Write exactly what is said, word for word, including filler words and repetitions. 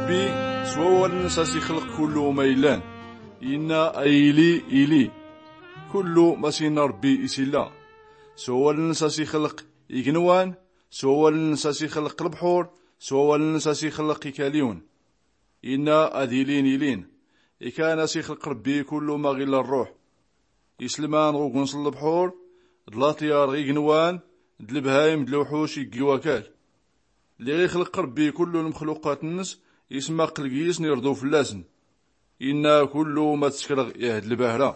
Rebbi s-wawal-nns a-s-ixlq kullu ma illan. Inna a-ili-ili, kullu ma s-inna rebbi is-illa. S-wawal-nns a-s-ixlq ignwan, s-wawal-nns a-s-ixlq lbḥur, s-wawal-nns a-s-ixlq ikaliwn. Inna ad-ilin-ilin. Ikan a-s-ixlq rebbi kullu ma ɣ-illa rruḥ. Islman ɣ-ugens n-lbḥur, d-laṭyar ɣ-ignwan, d-lbhayem d-lwḥuc iggi wakal. Lliɣ-ixlq rebbi kullu lmxluqat-nns, ismaql gis-n irḍu fll-asn. Inna kullu ma-tskrɣ ih-d-lbahra.